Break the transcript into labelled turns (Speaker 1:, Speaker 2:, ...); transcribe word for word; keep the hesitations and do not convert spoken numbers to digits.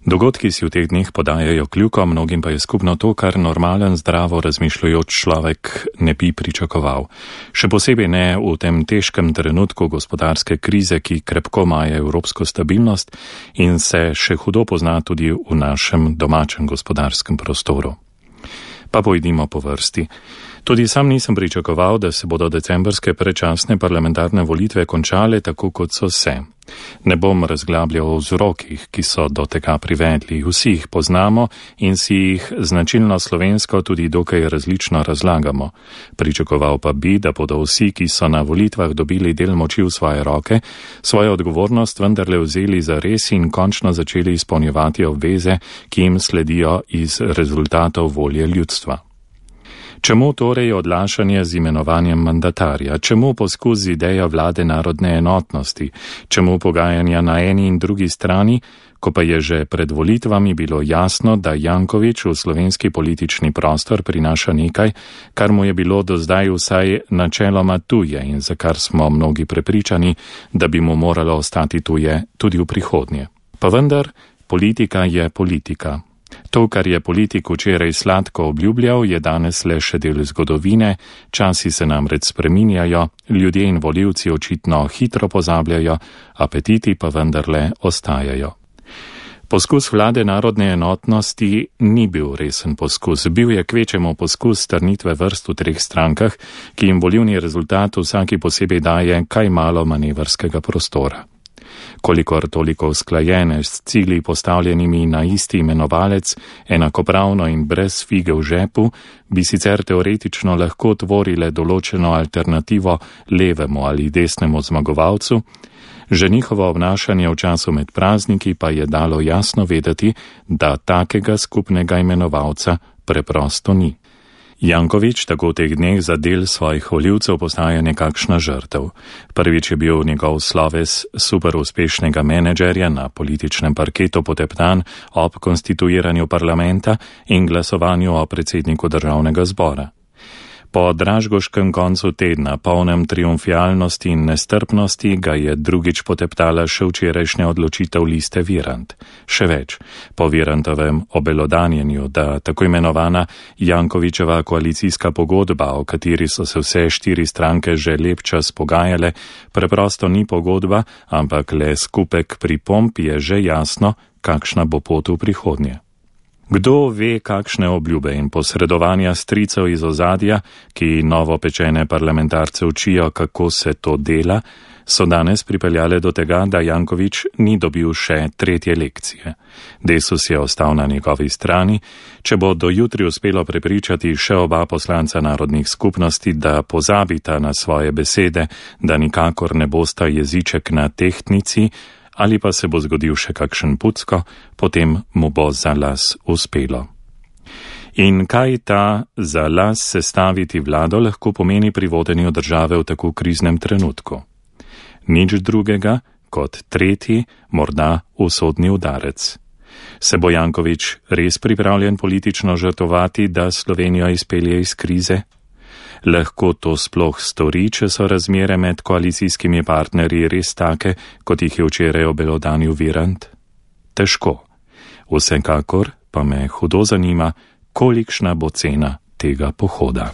Speaker 1: Dogodki si v teh dneh podajajo kljuko, mnogim pa je skupno to, kar normalen, zdravo razmišljajoč človek ne bi pričakoval. Še posebej ne v tem težkem trenutku gospodarske krize, ki krepko maje evropsko stabilnost in se še hudo pozna tudi v našem domačem gospodarskem prostoru. Pa pojdimo po vrsti. Tudi sam nisem pričakoval, da se bodo decembrske predčasne parlamentarne volitve končale tako, kot so se. Ne bom razglabljal o vzrokih, ki so do tega privedli. Vsi jih poznamo in si jih značilno slovensko tudi dokaj različno razlagamo. Pričakoval pa bi, da bodo vsi, ki so na volitvah dobili del moči v svoje roke, svojo odgovornost vendarle vzeli za res in končno začeli izpolnjevati obveze, ki jim sledijo iz rezultatov volje ljudstva. Čemu torej odlašanje z imenovanjem mandatarja? Čemu poskus z idejo vlade narodne enotnosti? Čemu pogajanja na eni in drugi strani, ko pa je že pred volitvami bilo jasno, da Janković v slovenski politični prostor prinaša nekaj, kar mu je bilo do zdaj vsaj načeloma tuje in za kar smo mnogi prepričani, da bi mu moralo ostati tuje tudi v prihodnje. Pa vendar, politika je politika. To, kar je politik včeraj sladko obljubljal, je danes le še del zgodovine, časi se namreč spreminjajo, ljudje in volivci očitno hitro pozabljajo, apetiti pa vendarle ostajajo. Poskus vlade narodne enotnosti ni bil resen poskus, bil je kvečemu poskus strnitve vrst v treh strankah, ki jim volivni rezultat vsaki posebej daje kaj malo manevrskega prostora. Kolikor toliko usklajene s cilji postavljenimi na isti imenovalec, enakopravno in brez fige v žepu, bi sicer teoretično lahko tvorile določeno alternativo levemu ali desnemu zmagovalcu, že njihovo obnašanje v času med prazniki pa je dalo jasno vedeti, da takega skupnega imenovalca preprosto ni. Janković tako v teh dneh za del svojih volivcev postaja nekakšna žrtev. Prvič je bil njegov sloves super uspešnega menedžerja na političnem parketu poteptan ob konstituiranju parlamenta in glasovanju o predsedniku državnega zbora. Po dražgoškem koncu tedna, polnem triumfialnosti in nestrpnosti, ga je drugič poteptala še včerajšnja odločitev liste Virant. Še več, po Virantovem obelodanjenju, da tako imenovana Jankovićeva koalicijska pogodba, o kateri so se vse štiri stranke že lep čas pogajale, preprosto ni pogodba, ampak le skupek pripomb, je že jasno, kakšna bo pot v prihodnje. Kdo ve, kakšne obljube in posredovanja stricev iz ozadja, ki novopečene parlamentarce učijo, kako se to dela, so danes pripeljale do tega, da Janković ni dobil še tretje lekcije. Desus je ostal na njegovi strani, če bo do jutri uspelo prepričati še oba poslanca narodnih skupnosti, da pozabita na svoje besede, da nikakor ne bosta jeziček na tehtnici, ali pa se bo zgodil še kakšen pucko, potem mu bo za las uspelo. In kaj ta za las sestaviti vlado lahko pomeni pri vodenju države v tako kriznem trenutku? Nič drugega kot tretji, morda usodni udarec. Se bo Janković res pripravljen politično žrtvovati, da Slovenijo izpelje iz krize? Lahko to sploh stori, če so razmere med koalicijskimi partnerji res take, kot jih je včeraj obelodanil Virant? Težko. Vsekakor pa me hudo zanima, kolikšna bo cena tega pohoda.